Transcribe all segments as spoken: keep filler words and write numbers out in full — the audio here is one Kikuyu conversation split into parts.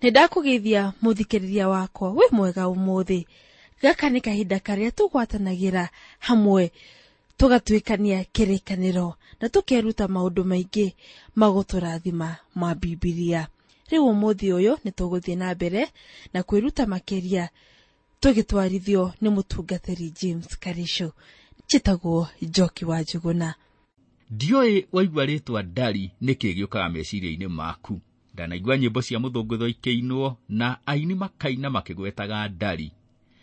Nĩ ndakũgeithia mũthikĩrĩria wakwa wĩ mwega ũmũthĩ. Gaka nĩ kahinda karĩa tũgwatanagĩra hamwe tũgatuĩkania kĩrĩkanĩro na tũkeruta maũndũ maingĩ magũtũrathima ma Bibilia. Rĩu ũmũthĩ ũyũ nĩ tũgũthiĩ na mbere na kwĩruta makĩria tũgĩtwarithio nĩ mũtungatĩri James Karisho. Njĩtagwo Njoki wa Njuguna. Ndiũĩ waigua rĩtwa ndari nĩkĩ gĩũkaga meciria-inĩ maku. Ndanaigua nyĩmbo cia mũthũngũtho ikĩinwo na aini makaina makĩgwetaga ndari.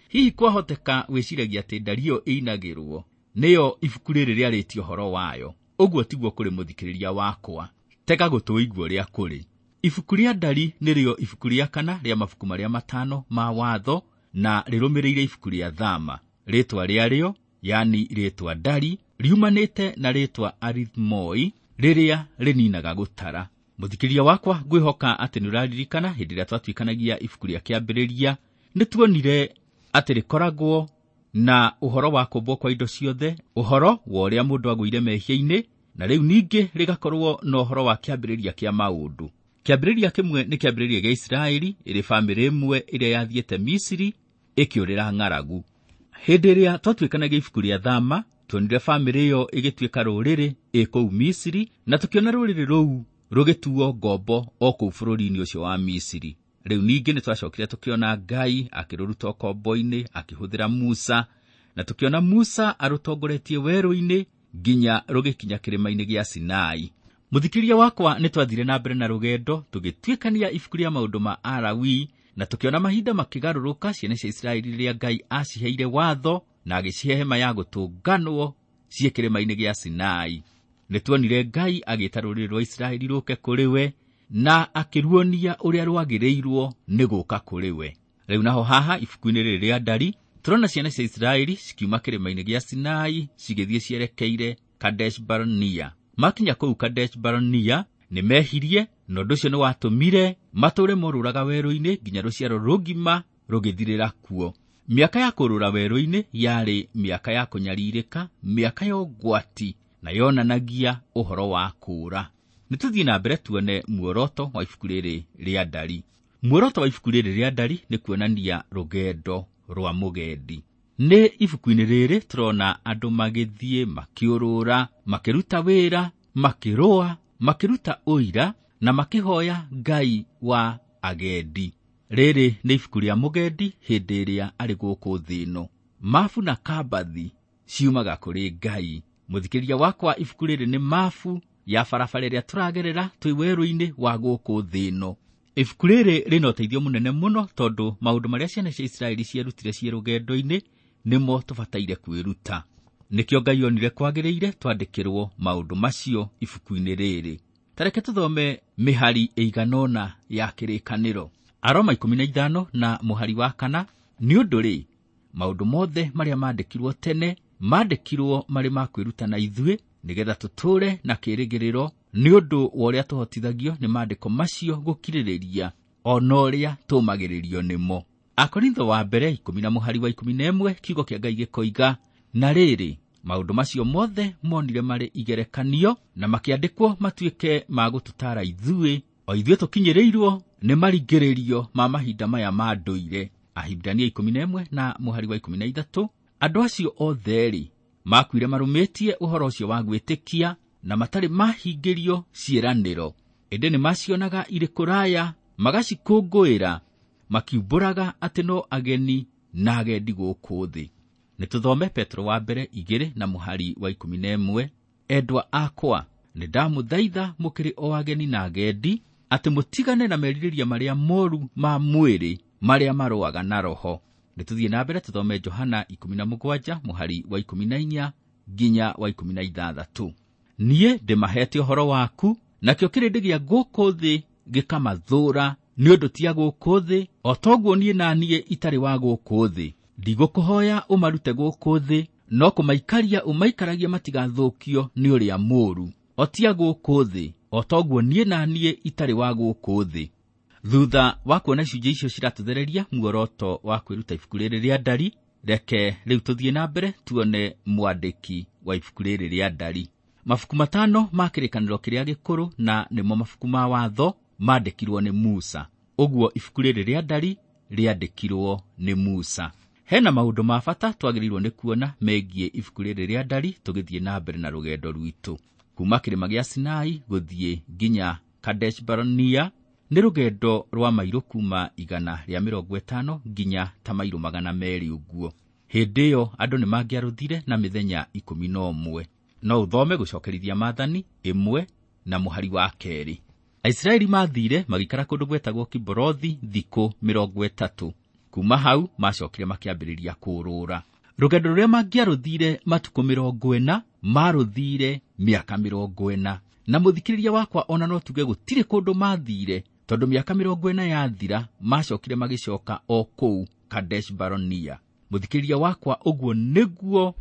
Hihi kwahoteka wĩciragia atĩ ndari ĩyo ĩinagĩrwo nĩyo ibuku rĩrĩ rĩarĩtie ũhoro wayo. Ũguo tiguo kũrĩ mũthikĩrĩria wakwa. Tega gũtũ ũigue ũrĩa kũrĩ. Ibuku rĩa ndari nĩrĩo ibuku rĩa kana rĩa mabuku marĩa matano ma watho na rĩrũmĩrĩire ibuku rĩa Thama. Rĩtwa rĩarĩo, yani rĩtwa ndari, riumanĩte na rĩtwa arithmoi rĩrĩa rĩninaga gũtara. Mũthikĩrĩria wakwa, ngwĩhoka atĩ nĩ ũraririkana hĩndĩ ĩrĩa twatuĩkanagia ibuku rĩa kĩambĩrĩria, nĩ tuonire atĩ rĩkoragwo na ũhoro wa kũmbwo kwa indo ciothe, ũhoro wa ũrĩa mũndũ agũire mehia-inĩ, na rĩu ningĩ rĩgakorwo na ũhoro wa kĩambĩrĩria kĩa maũndũ. Kĩambĩrĩria kĩmwe nĩ kĩambĩrĩria gĩa Isiraeli, ĩrĩ bamĩrĩ ĩmwe ĩrĩa yathiĩte Misiri ĩkĩũrĩra ng'aragu. Hĩndĩ ĩrĩa twatuĩkanagia ibuku rĩa Thama, tuonire bamĩrĩ ĩyo ĩgĩtuĩka rũrĩrĩ ĩ kũu Misiri, na tũkĩona rũrĩrĩ rũu rũgĩtuo ngombo o kũu bũrũri-inĩ ũcio wa Misiri. Rĩu ningĩ nĩ twacokire tũkĩona Ngai akĩrũruta ũkombo-inĩ akĩhũthĩra Musa, na tũkĩona Musa arũtongoretie werũ-inĩ nginya rũgĩkinya kĩrĩma-inĩ gĩa Sinai. Mũthikĩrĩria wakwa, nĩ twathire na mbere na rũgendo tũgĩtuĩkania ibuku rĩa maũndũ ma Alawii, na tũkĩona mahinda makĩgarũrũka ciana cia Isiraeli rĩrĩa Ngai aciheire watho na agĩcihe hema ya gũtũnganwo ciĩ kĩrĩma-inĩ gĩa Sinai. Nĩ tuonire Ngai agĩta rũrĩrĩ rwa Isiraeli rũke kũrĩ we na akĩruonia ũrĩa rwagĩrĩirwo nĩ gũka kũrĩ we. Rĩu naho haha ibuku-inĩ rĩrĩ rĩa ndari tũrona ciana cia Isiraeli cikiuma kĩrĩma-inĩ gĩa Sinai cigĩthiĩ cierekeire Kadesh Barnea. Makinya kũu Kadesh Barnea nĩ mehirie, na ũndũ ũcio nĩ watũmire matũre morũraga werũ-inĩ nginya rũciaro rũgima rũgĩthirĩra kuo. Mĩaka ya kũrũra werũ-inĩ yarĩ mĩaka ya kũnyarirĩka, mĩaka ya ũgwati, na yonanagia ũhoro wa kũũra. Nĩ tũthiĩ na mbere tuone muoroto wa ibuku rĩrĩ rĩa ndari. Muoroto wa ibuku rĩrĩ rĩa ndari nĩ kuonania rũgendo rwa mũgendi. Nĩ ibuku-inĩ rĩrĩ tũrona andũ magĩthiĩ, makĩũrũra, makĩruta wĩra, makĩrũa, makĩruta ũira na makĩhoya Ngai wa agendi. Rĩrĩ nĩ ibuku rĩa mũgendi hĩndĩ ĩrĩa arĩ gũkũ thĩ ĩno. Mabu na kambathi ciumaga kũrĩ Ngai. Mũthikĩrĩria wakwa, ibuku rĩrĩ nĩ mabu ya barabara ĩrĩa tũragerera twĩ werũ-inĩ wa gũkũ thĩ ĩno. Ibuku rĩrĩ rĩna ũteithio mũnene mũno tondũ maũndũ marĩa ciana cia Isiraeli cierutire ciĩ rũgendo-inĩ nĩmo tũbataire kwĩruta. Nĩkĩo Ngai onire kwagĩrĩire twandĩkĩrwo maũndũ macio ibuku-inĩ rĩrĩ. Ta reke tũthome mĩhari ĩigana ũna ya kĩrĩkanĩro. Aroma ikũmi na ithano na mũhari wa kana, nĩ ũndũ rĩ, maũndũ mothe marĩa maandĩkirwo tene maandĩkirwo marĩ ma kwĩruta na ithuĩ, nĩgetha tũtũũre na kĩĩrĩgĩrĩro nĩ ũndũ wa ũrĩa tũhotithagio nĩ maandĩko macio gũkirĩrĩria o na ũrĩa tũũmagĩrĩrio nĩmo. Akorintho wa mbere ikũmi na mũhari wa ikũmi na ĩmwe, kiugo kĩa Ngai gĩkoiga, na rĩrĩ, maũndũ macio mothe monire marĩ igerekanio na makĩandĩkwo matuĩke ma gũtũtaara ithuĩ, o ithuĩ tũkinyĩrĩirwo nĩ maringĩrĩrio ma mahinda maya ma ndũire. Ahibirania ikũmi na ĩmwe na mũhari wa ikũmi na ithatũ, andũ acio othe-rĩ makuire marũmĩtie ũhoro ũcio wa gwĩtĩkia na matarĩ mahingĩrio ciĩranĩro, ĩndĩ nĩ macionaga irĩ kũraya, magacikũngũĩra, makiumbũraga atĩ no ageni na agendi gũkũ thĩ. Nĩ tũthome Petro wa mbere igĩrĩ na mũhari wa ikũmi na ĩmwe, endwa akwa, nĩ ndamũthaitha mũkĩrĩ o ageni na agendi, atĩ mũtigane na merirĩria marĩa moru ma mwĩrĩ marĩa marũaga na roho. Nĩ tũthiĩ na mbere tũthome Johana ikũmi na mũgwanja mũhari wa ikũmi na inya nginya wa ikũmi na ithathatũ. Niĩ ndĩmahete ũhoro waku, nakĩo kĩrĩndĩ gĩa gũkũ thĩ gĩkamathũũra, nĩ ũndũ ti a gũkũ thĩ, o toguo niĩ na niĩ itarĩ wa gũkũ thĩ. Ndigũkũhoya ũmarute gũkũ thĩ, no kũmaikaria ũmaikaragie matigathũkio nĩ ũrĩa mũũru. O ti a gũkũ thĩ, o toguo niĩ na niĩ itarĩ wa gũkũ thĩ. Thutha wa kuona icunjĩ icio ciratũthereria muoroto wa kwĩruta ibuku rĩrĩ rĩa ndari, reke rĩu tũthiĩ na mbere tuone mwandĩki wa ibuku rĩrĩ rĩa ndari. Mabuku matano ma kĩrĩkanĩro kĩrĩa gĩkũrũ na nĩmo mabuku ma watho mandĩkirwo nĩ Musa. Ũguo ibuku rĩrĩ rĩa Ndari rĩandĩkirwo nĩ Musa. Hena maũndũ ma bata twagĩrĩirwo nĩ kuona megiĩ ibuku rĩrĩ rĩa Ndari tũgĩthiĩ na mbere na rũgendo rwitũ. Kuma kĩrĩma gĩa Sinai gũthiĩ nginya Kadesh Barnea nĩ rũgendo rwa mairũ kuma igana rĩa mĩrongo ĩtano nginya ta mairũ magana merĩ ũguo. Hĩndĩ ĩyo andũ nĩ mangĩarũthire na mĩthenya ikũmi na ũmwe. No ũthome gũcokerithia maathani ĩmwe na mũhari wa kerĩ. Aisiraeli maathire magĩikara kũndũ gwetagwo Kiborothi thikũ mĩrongo ĩtatũ. Kuma hau macokire makĩambĩrĩria kũũrũra. Rũgendo rũrĩa mangĩarũthire matukũ mĩrongo ĩna marũthire mĩaka mĩrongo ĩna. Na mũthikĩrĩria wakwa ona no tuge gũtirĩ kũndũ mathire, tondũ mĩaka mĩrongo ĩna yathira macokire magĩcoka o kũu Kadesh Barnea. Mũthikĩrĩria wakwa, ũguo nĩguo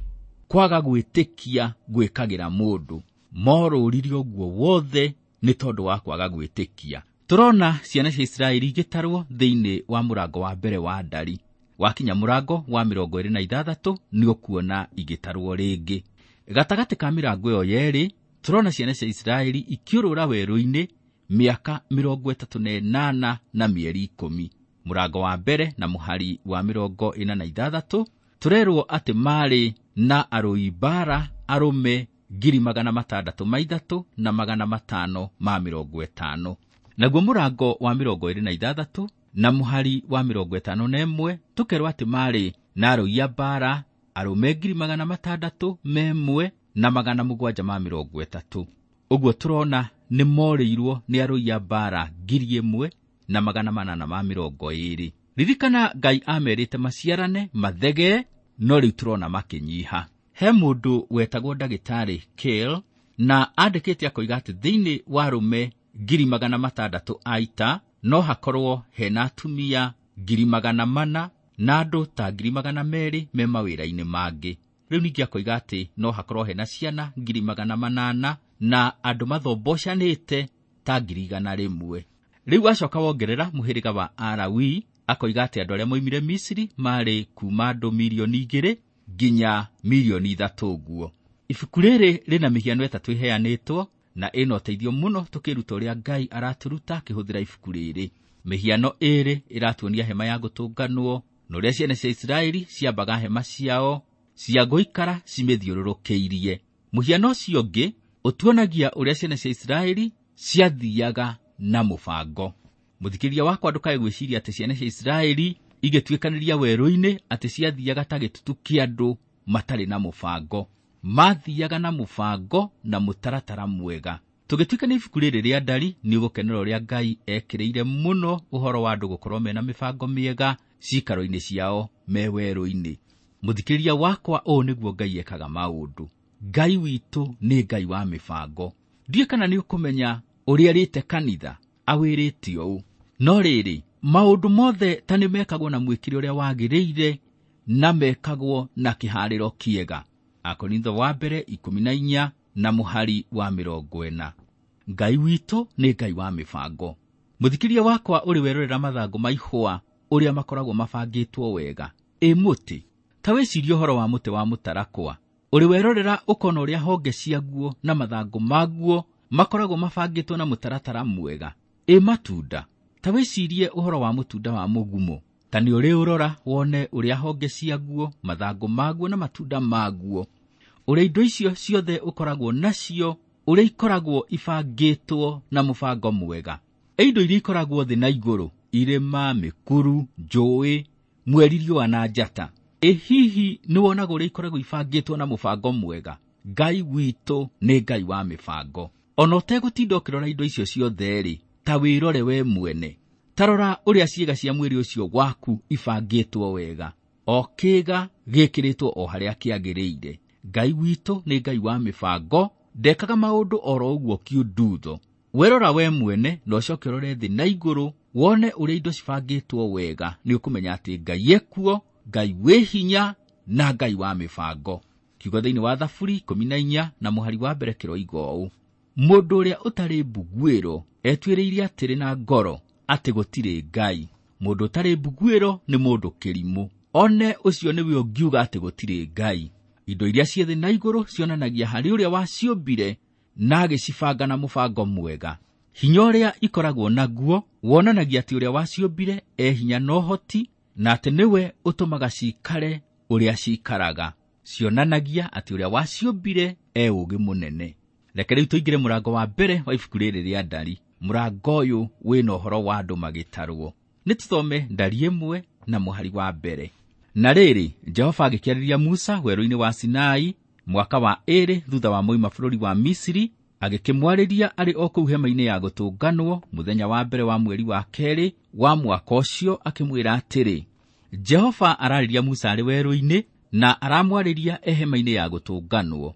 kwaga gwĩtĩkia gwĩkagĩra mũndũ. Morũrire ũguo wothe nĩ tondũ wa kwaga gwĩtĩkia. Tũrona ciana cia Isiraeli igĩtarwo thĩinĩ wa mũrango wa mbere wa Ndari. Wakinya mũrango wa mĩrongo ĩrĩ na ithathatũ nĩ ũkuona igĩtarwo rĩngĩ. Gatagatĩ ka mĩrango ĩyo yerĩ tũrona ciana cia Isiraeli ikĩũrũra werũ-inĩ mĩaka mĩrongo ĩtatũ na ĩnana na mĩeri ikũmi. Mũrango wa mbere na mũhari wa mĩrongo ĩna na ithathatũ tũrerwo atĩ marĩ na arũi mbara arũme ngiri magana matandatũ ma ithatũ na magana matano ma mĩrongo ĩtano. Naguo mũrango wa mĩrongo ĩrĩ na ithathatũ na mũhari wa mĩrongo ĩtano na ĩmwe tũkerwo atĩ marĩ na arũi a mbara arũme ngiri magana matandatũ ma ĩmwe na magana mũgwanja ma mĩrongo ĩtatũ. Ũguo tũrona nĩ morĩirwo nĩ arũi a mbara ngiri ĩmwe na magana manana ma mĩrongo ĩrĩ. Ririkana Ngai amerite maciarane mathege, no rĩu tũrona makĩnyiha. He mũndũ wetagwo ndagĩtarĩ Kale na andĩkĩte akoiga atĩ thĩinĩ wa arũme ngiri magana matandatũ a ita no hakorwo hena atumia ngiri magana mana na andũ ta ngiri magana merĩ me mawĩra-inĩ mangĩ. Rĩu ningĩ akoiga atĩ no hakorwo hena ciana ngiri magana manana na andũ mathombocanĩte ta ngiri igana rĩmwe. Rĩu acoka wongerera mũhĩrĩga wa Alawi akoiga atĩ andũ arĩa moimire Misiri marĩ kuma andũ mirioni igĩrĩ nginya mirioni ithatũ ũguo. Ibuku rĩrĩ rĩna mĩhiano ĩtatũ ĩheanĩtwo na ĩna ũteithio mũno tũkĩruta ũrĩa Ngai aratũruta akĩhũthĩra ibuku rĩrĩ. Mĩhiano ĩrĩ ĩratuonia hema ya gũtũnganwo na ũrĩa ciana cia Isiraeli ciambaga hema ciao cia gũikara cimĩthiũrũrũkĩirie. Mũhiano ũcio ũngĩ ũtuonagia ũrĩa ciana cia Isiraeli ciathiaga na mũbango. Mũthikĩrĩria wakwa, ndũkae gwĩciria atĩ ciana cia Isiraeli igĩtuĩkanĩria werũ-inĩ atĩ ciathiaga ta gĩtutu kĩa andũ matarĩ na mũbango. Mathiaga na mũbango na mũtaratara mwega. Tũgĩtuĩka nĩ ibuku rĩrĩ rĩa Ndari nĩ ũgũkenera ũrĩa Ngai ekĩrĩire mũno ũhoro wa andũ gũkorwo mena mĩbango mĩega ciikaro-inĩ ciao me werũ-inĩ. Mũthikĩrĩria wakwa, ũũ nĩguo Ngai ekaga maũndũ. Ngai witũ nĩ Ngai wa mĩbango. Ndiũĩ kana nĩ ũkũmenya ũrĩa arĩte kanitha awĩrĩte ũũ. No rĩrĩ, maũndũ mothe ta nĩ mekagwo na mwĩkĩre ũrĩa wagĩrĩire na mekagwo na kĩharĩro kĩega. Akorintho wa mbere ikũmi na inya na mũhari wa mĩrongo ĩna. Ngai witũ nĩ Ngai wa mĩbango. Mũthikĩrĩria wakwa, ũrĩ werorera mathangũ ma ihũa ũrĩa makoragwo mabangĩtwo wega. Ĩ mũtĩ, ta wĩcirie ũhoro wa mũtĩ wa mũtarakwa. Ũrĩ werorera ũkona ũrĩa honge ciaguo na mathangũ maguo makoragwo mabangĩtwo na mũtaratara mwega. Ĩ matunda, ta wĩcirie ũhoro wa mũtunda wa mũgumo. Ta nĩ ũrĩ ũrora wone ũrĩa honge ciaguo, mathangũ maguo na matunda maguo, ũrĩa indo icio ciothe ũkoragwo nacio, ũrĩa ikoragwo ibangĩtwo na mũbango mwega. Ĩ indo iria ikoragwo thĩ na igũrũ, irĩma, mĩkuru, njũĩ, mweri, riũa na njata. Ĩ hihi nĩ wonaga ũrĩa ikoragwo ibangĩtwo na mũbango mwega? Ngai witũ nĩ Ngai wa mĩbango. Ona ũtegũtinda ũkĩrora indo icio ciothe rĩ, ta wĩrore we mwene. Ta rora ũrĩa ciĩga cia mwĩrĩ ũcio waku ibangĩtwo wega. O kĩĩga gĩkĩrĩtwo o harĩa kĩagĩrĩire. Ngai witũ nĩ Ngai wa mĩbango, ndekaga maũndũ oro ũguo kiundutho. Werora we mwene na ũcoke ũrore thĩ na igũrũ wone ũrĩa indo cibangĩtwo wega, nĩ ũkũmenya atĩ Ngai ekuo, Ngai wĩ hinya na Ngai wa mĩbango. Kiugo thĩinĩ wa Thaburi ikũmi na inya na mũhari wa mbere kĩroiga ũũ: mũndũ ũrĩa ũtarĩ mbuguĩro etuĩrĩire atĩrĩ na ngoro atĩ gũtirĩ Ngai. Mũndũ ũtarĩ mbuguĩro nĩ mũndũ kĩrimũ, one ũcio nĩwe ũngiuga atĩ gũtirĩ Ngai. Indo iria ciĩ thĩ na igũrũ cionanagia harĩ ũrĩa waciũmbire na agĩcibanga na mũbango mwega. Hinya ũrĩa ikoragwo naguo wonanagia atĩ ũrĩa waciũmbire e hinya na ũhoti, na atĩ nĩwe ũtũmaga ciikare ũrĩa ciikaraga. Cionanagia atĩ ũrĩa waciũmbire e ũũgĩ mũnene. Reke rĩu tũingĩre mũrango wa mbere wa ibuku rĩrĩ rĩa Ndari. Mũrango ũyũ wĩna ũhoro wa andũ magĩtarwo. Nĩ tũthome Ndari ĩmwe na mũhari wa mbere. Na rĩrĩ, Jehova agĩkĩarĩria Musa werũ-inĩ wa Sinai mwaka wa ĩrĩ thutha wa moima bũrũri wa Misiri, agĩkĩmwarĩria arĩ o kũu hema-inĩ ya gũtũnganwo mũthenya wa mbere wa mweri wa kerĩ wa mwaka ũcio, akĩmwĩra atĩrĩ, Jehova ararĩria Musa arĩ werũ-inĩ na aramwarĩria e hema-inĩ ya gũtũnganwo.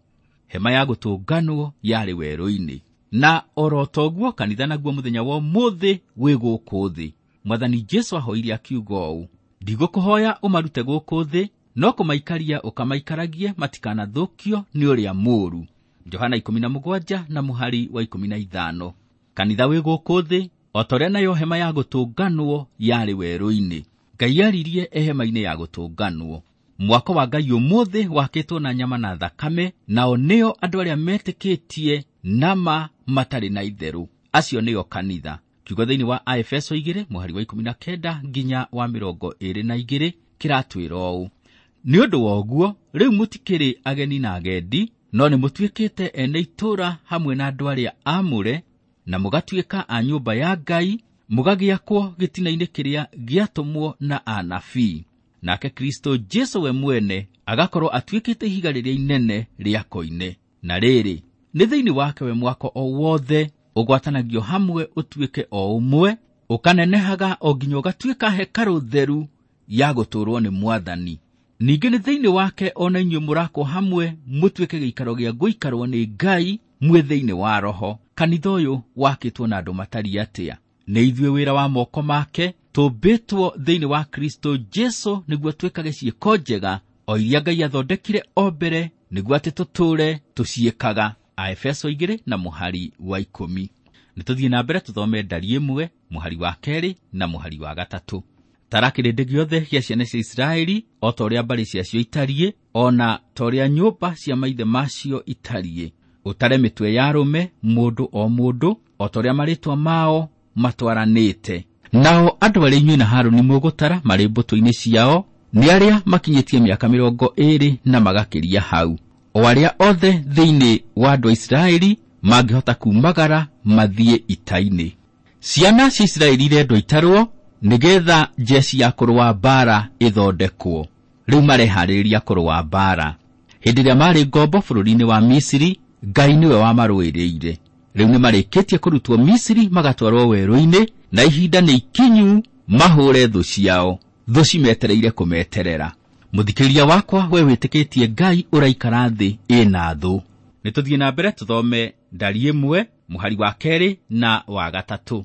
Hema ya gũtũnganwo yarĩ werũ-inĩ. Na oro toguo kanitha naguo mũthenya wa ũmũthĩ wĩ gũkũ thĩ. Mwathani Jesu ahoire akiuga ũũ, ndigũkũhoya ũmarute gũkũ thĩ, no kũmaikaria ũkamaikaragie matikanathũkio nĩ ũrĩa mũũru. Johana ikũmi na mũgwanja na mũhari wa ikũmi na ithano. Kanitha wĩ gũkũ thĩ o ta ũrĩa nayo hema ya gũtũnganwo yarĩ werũ-inĩ. Ngai aririe e hema-inĩ ya gũtũnganwo. Mwako wa Ngai ũmũthĩ wakĩtwo na nyama na thakame, nao nĩo andũ arĩa metĩkĩtie nama matarĩ na itherũ. Acio nĩo kanitha. Kiugo thĩinĩ wa Aefeso igĩrĩ mũhari wa ikũmi na kenda nginya wa mĩrongo ĩrĩ na igĩrĩ kĩratwĩra ũũ, nĩ ũndũ wa ũguo rĩu mũtikĩrĩ ageni na agendi, no nĩ mũtuĩkĩte ene itũũra hamwe na andũ arĩa aamũre, na mũgatuĩka a nyũmba ya Ngai, mũgagĩakwo gĩtina-inĩ kĩrĩa gĩatũmwo na anabii. Nake Kristo Jesu we mwene agakorwo atuĩkĩte ihiga rĩrĩa inene rĩa koine. Na rĩrĩ, nĩ thĩinĩ wake we mwako o wothe ũgwatanagio hamwe ũtuĩke o ũmwe, ũkanenehaga o nginya ũgatuĩka hekarũ theru ya gũtũũrwo nĩ Mwathani. Ningĩ nĩ thĩinĩ wake o na inyuĩ mũrakwo hamwe mũtuĩke gĩikaro gĩa gũikarwo nĩ Ngai mwĩ thĩinĩ wa Roho. Kanitha ũyũ wakĩtwo na andũ matariĩ atĩa? Nĩ ithuĩ wĩra wa moko make, tũmbĩtwo thĩinĩ wa Kristo Jesu nĩguo twĩkage ciĩko njega o iria Ngai athondekire o mbere nĩguo atĩ tũtũũre tũciĩkaga. Aefeso igĩrĩ na mũhari wa ikũmi. Nĩ tũthiĩ na mbere tũthome Ndari ĩmwe mũhari wa kerĩ na mũhari wa gatatũ. Tara kĩrĩndĩ gĩothe gĩa ciana cia Isiraeli o ta ũrĩa mbarĩ ciacio itariĩ, o na ta ũrĩa nyũmba cia maithe macio itariĩ. Ũtare mĩtwe ya arũme mũndũ o mũndũ o ta ũrĩa marĩtwa mao matwaranĩte. Nao andũ arĩa inyuĩ na Harũni mũgũtara marĩ mbũtũ-inĩ ciao nĩ arĩa makinyĩtie mĩaka mĩrongo ĩrĩ na magakĩria hau, o arĩa othe thĩinĩ wa andũ a Isiraeli mangĩhota kumagara mathiĩ ita-inĩ. Ciana cia Isiraeli irendwo itarwo nĩgetha njeci ya kũrũa mbaara ĩthondekwo. Rĩu mareharĩrĩria kũrũa mbaara. Hĩndĩ ĩrĩa marĩ ngombo bũrũri-inĩ wa Misiri, Ngai nĩwe wamarũĩrĩire. Rĩu nĩmarĩkĩtie kũrutwo Misiri magatwarwo werũ-inĩ, na ihinda nĩ ikinyu mahũre thũ ciao. Thũ cimetereire kũmeterera. Mũthikĩrĩria wakwa, we wĩtĩkĩtie Ngai ũraikara thĩ ĩna thũ. Nĩ tũthiĩ na mbere tũthome Ndari ĩmwe mũhari wa kerĩ na wa gatatũ.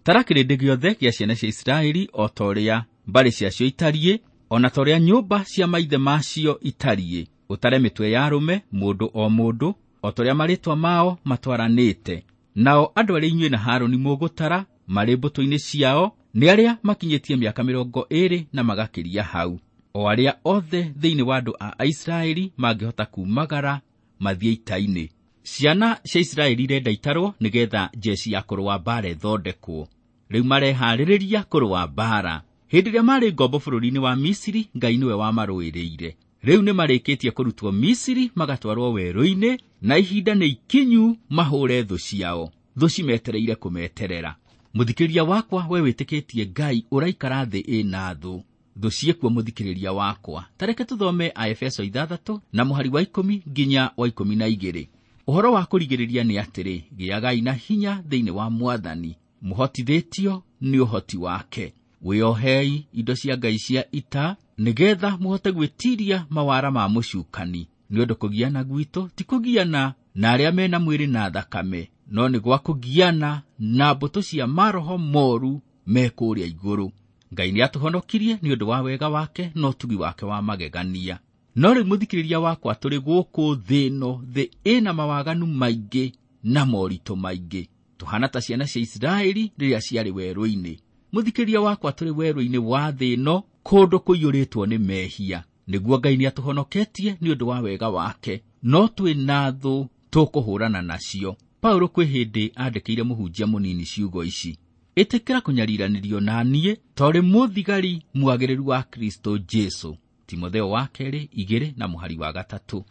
Tara kĩrĩndĩ gĩothe gĩa ciana cia Isiraeli o ta ũrĩa mbarĩ ciacio itariĩ, o na ta ũrĩa nyũmba cia maithe macio itariĩ. Ũtare mĩtwe ya arũme mũndũ o mũndũ o ta ũrĩa marĩtwa mao matwaranĩte. Nao andũ arĩa inyuĩ na Harũni mũgũtara marĩ mbũtũ-inĩ ciao nĩ arĩa makinyĩtie mĩaka mĩrongo ĩrĩ na magakĩria hau, o arĩa othe thĩinĩ wa andũ a Isiraeli mangĩhota kumagara mathiĩ ita-inĩ. Ciana cia Isiraeli irenda itarwo nĩgetha njeci ya kũrũa mbaara ĩthondekwo. Rĩu mareharĩrĩria kũrũa mbaara. Hĩndĩ ĩrĩa marĩ ngombo bũrũri-inĩ wa Misiri, Ngai nĩwe wamarũĩrĩire. Rĩu nĩmarĩkĩtie kũrutwo Misiri magatwarwo werũ-inĩ, na ihinda nĩ ikinyu mahũre thũ ciao. Thũ cimetereire kũmeterera. Mũthikĩrĩria wakwa, we wĩtĩkĩtie Ngai ũraikara thĩ ĩna thũ. Thũ ciĩkuo mũthikĩrĩria wakwa. Ta reke tũthome Aefeso ithathatũ na mũhari wa ikũmi nginya wa ikũmi na igĩrĩ. Ũhoro wa kũrigĩrĩria nĩ atĩrĩ, gĩagai na hinya thĩinĩ wa Mwathani, mũhotithĩtio nĩ ũhoti wake. Wĩohei indo cia Ngai cia ita, nĩgetha mũhote gwĩtiiria mawara ma mũcukani. Nĩ ũndũ kũgiana gwitũ ti kũgiana na arĩa mena mwĩrĩ na thakame, no nĩ gwa kũgiana na mbũtũ cia maroho moru me kũrĩa igũrũ. Ngai nĩatũhonokirie nĩ ũndũ wa wega wake na ũtugi wake wa magegania. No rĩu mũthikĩrĩria wakwa, tũrĩ gũkũ thĩ ĩno, thĩ ĩna mawaganu maingĩ na moritũ maingĩ. Tũhana ta ciana cia Isiraeli rĩrĩa ciarĩ werũ-inĩ. Mũthikĩrĩria wakwa, tũrĩ werũ-inĩ wa thĩ ĩno, kũndũ kũiyũrĩtwo nĩ mehia. Nĩguo Ngai nĩatũhonoketie nĩ ũndũ wa wega wake, no twĩ na thũ tũkũhũrana nacio. Paulo kwĩ hĩndĩ andĩkĩire mũhunjia mũnini ciugo ici: ĩtĩkĩra kũnyariranĩrio na niĩ torĩ mũthigari mwagĩrĩru wa Kristo Jesu. Timotheo wa kerĩ igĩrĩ na mũhari wa gatatũ.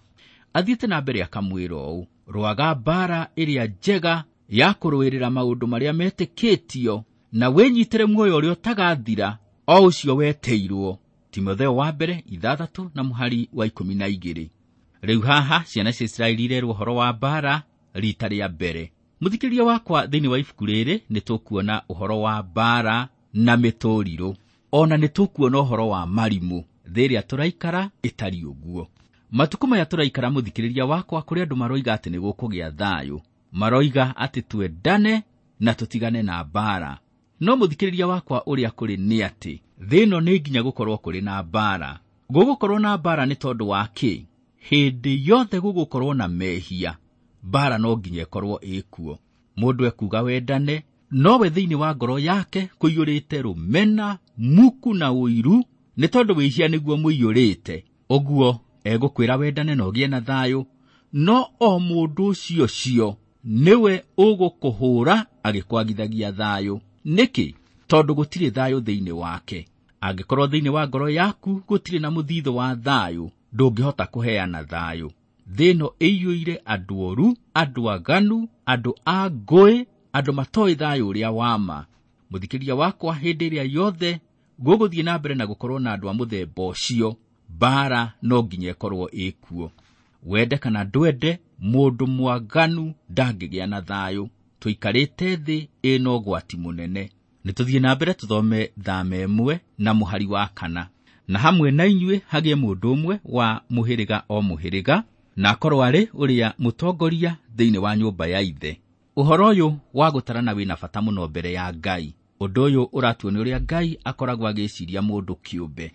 Athiĩte na mbere akamwĩra ũũ: rũaga mbara ĩrĩa njega ya kũrũĩrĩra maũndũ marĩa metĩkĩtio na wĩnyitĩre muoyo ũrĩa ũtagathira o ũcio wetĩirwo. Timotheo wa mbere ithathatũ na mũhari wa ikũmi na igĩrĩ. Rĩu haha ciana cia Isiraeli irerwo ũhoro wa mbara rita rĩa mbere. Mũthikĩrĩria wakwa, thĩinĩ wa ibuku rĩrĩ nĩ tũkuona ũhoro wa mbara na mĩtũrirũ, ona nĩ tũkuona ũhoro wa marimũ. Thĩ ĩrĩa tũraikara ĩtariĩ ũguo. Matukũ maya tũraikara, mũthikĩrĩria wakwa, kũrĩ andũ maroiga atĩ nĩ gũkũgĩa thayũ, maroiga atĩ twendane na tũtigane na mbara. No mũthikĩrĩria wakwa, ũrĩa kũrĩ nĩ atĩ thĩ ĩno nĩ nginya gũkorwo kũrĩ na mbara. Gũgũkorwo na mbara nĩ tondũ wa kĩ? Hĩndĩ yothe gũgũkorwo na mehia, mbara no nginya ĩkorwo ĩkuo. Mũndũ ekuga wendane, nowe thĩinĩ wa ngoro yake kũiyũrĩte rũmena, muku na ũiru, nĩ tondũ wĩhia nĩguo mũiyũrĩte. Ũguo egũkwĩra wendane na ũgĩe na thayũ, no o mũndũ ũcio cio nĩwe ũgũkũhũra agĩkwagithagia thayũ. Nĩkĩ? Tondũ gũtirĩ thayũ thĩinĩ wake. Angĩkorwo thĩinĩ wa ngoro yaku gũtirĩ na mũthithũ wa thayũ, ndũngĩhota kũheana thayũ. Thĩ ĩno ĩiyũire andũ oru, andũ aganu, andũ a ngũĩ, andũ matoĩ thayũ ũrĩa wa ma. Mũthikĩrĩria wakwa, hĩndĩ ĩrĩa yothe gũgũthiĩ na mbere na gũkorwo na andũ a mũthemba ũcio, mbara no nginya ĩkorwo ĩkuo. Wende kana ndwende, mũndũ mwaganu ndangĩgĩa na thayũ. Tũikarĩte thĩ ĩna ũgwati mũnene. Nĩ tũthiĩ na mbere tũthome thama ĩmwe na mũhari wa kana. Na hamwe na inyuĩ hagĩe mũndũ ũmwe wa mũhĩrĩga o mũhĩrĩga, na akorwo arĩ ũrĩa mũtongoria thĩinĩ wa nyũmba ya ithe. Ũhoro ũyũ wa gũtarana wĩna bata mũno mbere ya Ngai. Ũndũ ũyũ ũratuonia ũrĩa Ngai akoragwo agĩciria mũndũ kĩũmbe.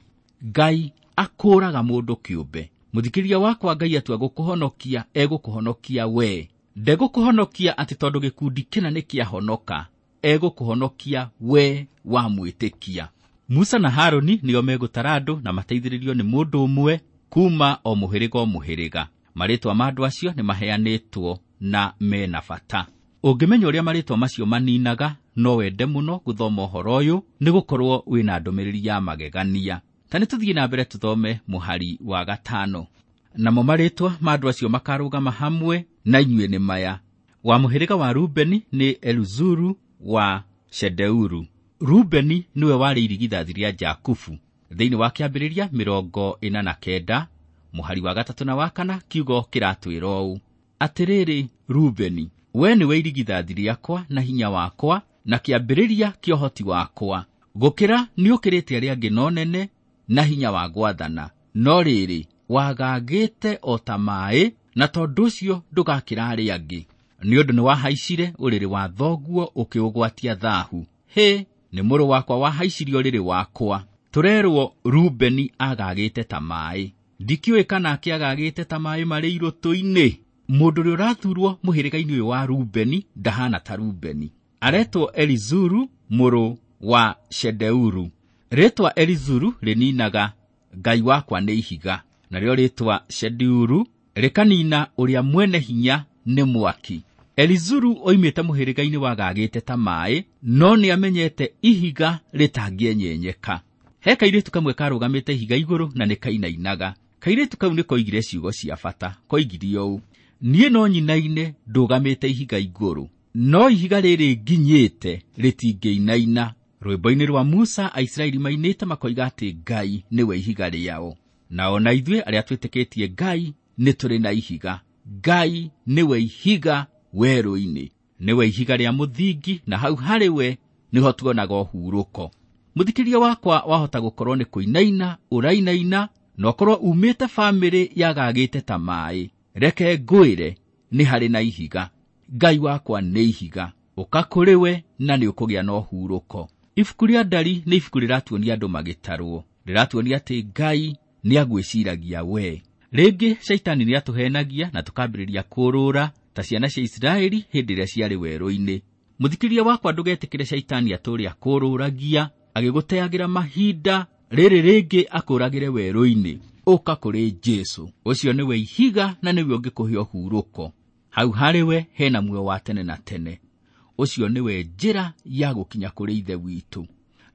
Ngai akũraga mũndũ kĩũmbe. Mũthikĩrĩria wakwa, Ngai atua gũkũhonokia, egũkũhonokia we. Ndegũkũhonokia atĩ tondũ gĩkundi kĩna nĩ kĩahonoka, egũkũhonokia we wamwĩtĩkia. Musa na Harũni nĩo megũtara andũ na mateithĩrĩrio nĩ mũndũ ũmwe kuma o mũhĩrĩga o mũhĩrĩga. Marĩtwa ma andũ acio nĩ maheanĩtwo na mena bata. Ũngĩmenya ũrĩa marĩtwa macio maninaga, no wende mũno gũthoma ũhoro ũyũ, nĩ gũkorwo wĩna ndũmĩrĩri ya magegania. Ta nĩ tũthiĩ na mbere tũthome mũhari wa gatano. Namo marĩtwa ma andũ acio makarũgama hamwe na inyuĩ nĩ maya: wa mũhĩrĩga wa Rubeni nĩ Eluzuru wa Shedeuru. Rubeni nĩwe warĩ irigithathi rĩa Jakubu. Thĩinĩ wa kĩambĩrĩria mĩrongo ĩna na kenda mũhari wa gatatũ na wa kana, kiugo kĩratwĩra ũũ: atĩrĩrĩ Rubeni, we nĩwe irigithathi rĩakwa na hinya wakwa na kĩambĩrĩria kĩa ũhoti wakwa, gũkĩra nĩũkĩrĩte arĩa angĩ no nene na hinya wa gwathana, no rĩrĩ wagagĩte o ta maĩ, na tondũ ũcio ndũgakĩra arĩa angĩ, nĩ ũndũ nĩwahaicire ũrĩrĩ wa thoguo ũkĩũgwatia thahu. Hĩ, nĩ mũrũ wakwa wahaicirie ũrĩrĩ wakwa. Tũrerwo Rubeni agagĩte ta maĩ. Ndikĩũĩ kana akĩagagĩte ta maĩ marĩ irũtũ-inĩ. Mũndũ ũrĩa ũrathurwo mũhĩrĩga-inĩ ũyũ wa Rubeni ndahana ta Rubeni. Aretwo Elizuru mũrũ wa Shedeuru. Rĩtwa Elizuru rĩninaga Ngai wakwa nĩ ihiga, narĩo rĩtwa Shedeuru rĩkanina ũrĩa mwene hinya nĩ mwaki. Elizuru oimĩte mũhĩrĩga-inĩ wagagĩte ta maĩ, no nĩamenyete ihiga rĩtangĩenyenyeka. He kairĩtu kamwe karũgamĩte ihiga igũrũ na nĩ kainainaga. Kairĩtu kau nĩ koigire ciugo cia bata. Koigire ũũ: niĩ no nyinaine ndũgamĩte ihiga igũrũ, no ihiga rĩrĩ nginyĩte rĩtingĩinaina. Rwĩmbo-inĩ rwa Musa Aisiraeli mainĩte makoiga atĩ Ngai nĩwe ihiga rĩao. Na ona ithuĩ arĩa twĩtĩkĩtie Ngai nĩ tũrĩ na ihiga. Ngai nĩwe ihiga werũ-inĩ, nĩwe ihiga rĩa mũthingi, na hau harĩ we nĩho tuonaga ũhurũko. Mũthikĩrĩria wakwa, wahota gũkorwo nĩ kũinaina ũrainaina, na ũkorwo umĩte bamĩrĩ yagagĩte ta maĩ. Reke ngwĩre, nĩ harĩ na ihiga. Ngai wakwa nĩ ihiga, ũka kũrĩ we na nĩ ũkũgĩa na ũhurũko. Ibuku rĩa Ndari nĩ ibuku rĩratuonia andũ magĩtarwo, rĩratuonia atĩ Ngai nĩ agwĩciragia we. Rĩngĩ Shaitani nĩ atũhenagia na tũkambĩrĩria kũrũra ta ciana cia Isiraeli hĩndĩ ĩrĩa ciarĩ werũ-inĩ. Mũthikĩrĩria wakwa, ndũgetĩkĩre Shaitani atũũre akũrũragia agĩgũteagĩra mahinda, rĩrĩ rĩngĩ akũragĩre werũ-inĩ. Ũka kũrĩ Jesũ, ũcio nĩwe ihiga na nĩwe ũngĩkũhe ũhurũko. Hau harĩ we hena muoyo wa tene na tene. Ũcio nĩwe njĩra ya gũkinya kũrĩ Ithe witũ.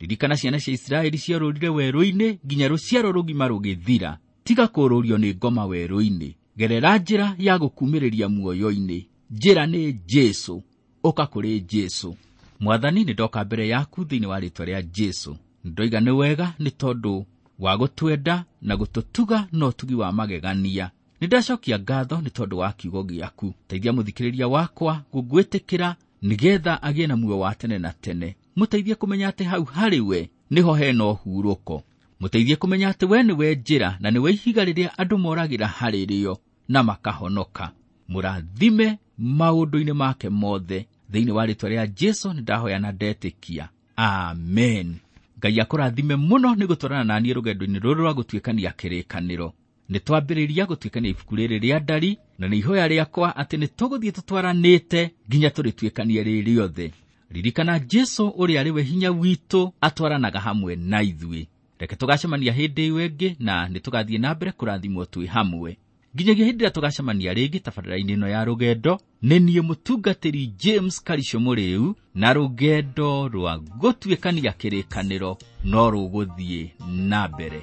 Ririkana ciana cia Isiraeli ciorũrire werũ-inĩ nginya rũciaro rũgima rũgĩthira. Tiga kũrũrio nĩ ngoma werũ-inĩ. Gerera njĩra ya gũkumĩrĩria muoyo-inĩ. Njĩra nĩ Jesũ. Ũka kũrĩ Jesũ. Mwathani, nĩ ndoka mbere yaku thĩinĩ wa rĩtwa rĩa Jesũ. Ndoiga nĩ wega nĩ tondũ wa gũtwenda na gũtũtuga na ũtugi wa magegania. Nĩ ndacokia ngatho nĩ tondũ wa kiugo gĩaku. Teithia mũthikĩrĩria wakwa gũgwĩtĩkĩra nĩgetha agĩe na muoyo wa tene na tene. Mũteithie kũmenya atĩ hau harĩ we nĩho hena ũhurũko. Mũteithie kũmenya atĩ we nĩwe njĩra na nĩwe ihiga rĩrĩa andũ moragĩra harĩ rĩo na makahonoka. Mũrathime maũndũ-inĩ make mothe. Thĩinĩ wa rĩtwa rĩa Jesũ nĩ ndahoya na ndetĩkia. Amen. Ngai akũrathime mũno nĩ gũtwarana na niĩ rũgendo-inĩ rũrũ rwa gũtuĩkania kĩrĩkanĩro. Nĩ twambĩrĩria gũtuĩkania ibuku rĩrĩ rĩa Ndari, na nĩ ihoya rĩakwa atĩ nĩ tũgũthiĩ tũtwaranĩte nginya tũrĩtuĩkanie rĩ rĩothe. Ririkana Jesũ ũrĩa arĩ we hinya witũ atwaranaga hamwe na ithuĩ. Reke tũgacemania hĩndĩ ĩyo ĩngĩ na nĩ tũgathiĩ na mbere kũrathimwo twĩ hamwe. Nginyagia hĩndĩ ĩrĩa tũgacemania rĩngĩ tabarĩra-inĩ ĩno ya rũgendo, nĩ niĩ mũtungatĩri James Karisho Mũrĩu, na rũgendo rwa gũtuĩkania kĩrĩkanĩro no rũgũthiĩ na mbere.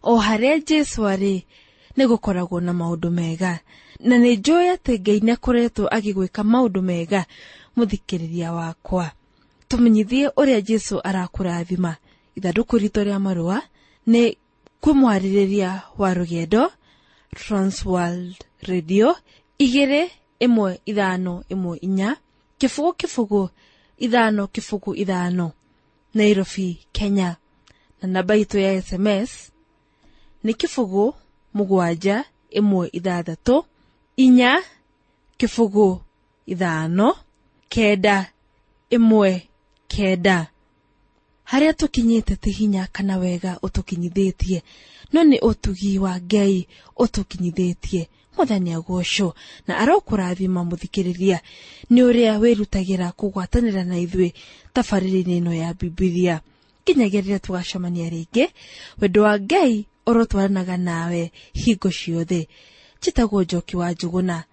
O harĩa Jesũ arĩ nĩ gũkoragwo na maũndũ mega, na nĩ njũĩ atĩ Ngai nĩ akoretwo agĩgwĩka maũndũ mega. Mũthikĩrĩria wakwa, tũmenyithie ũrĩa Jesũ arakũrathima. Ithandũkũ ritũ rĩa marũa nĩ kwĩ mwarĩrĩria wa rũgendo, Transworld Radio igĩrĩ ĩmwe ithano ĩmwe inya kĩbũgũ kĩbũgũ ithano kĩbũgũ ithano, Nairobi, Kenya. Na namba itũ ya S M S nĩ kĩbũgũ mũgwanja ĩmwe ithathatũ inya kĩbũgũ ithano kenda ĩmwe kenda. Harĩa tũkinyĩte ti hinya kana wega ũtũkinyithĩtie, no nĩ ũtugi wa Ngai ũtũkinyithĩtie. Mwathani agocwo na arokũrathima mũthikĩrĩria nĩ ũrĩa wĩrutagĩra kũgwatanĩra na ithuĩ tabarĩra-inĩ ĩno ya Bibilia. Nginyagia rĩrĩa tũgacemania rĩngĩ, wendo wa Ngai ũrotwaranaga nawe hingo ciothe. Njĩtagwo Njoki wa Njũgũna,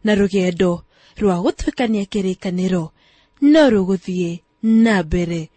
na rũgendo rwa gũtuĩkania kĩrĩkanĩro no rũgũthiĩ na mbere.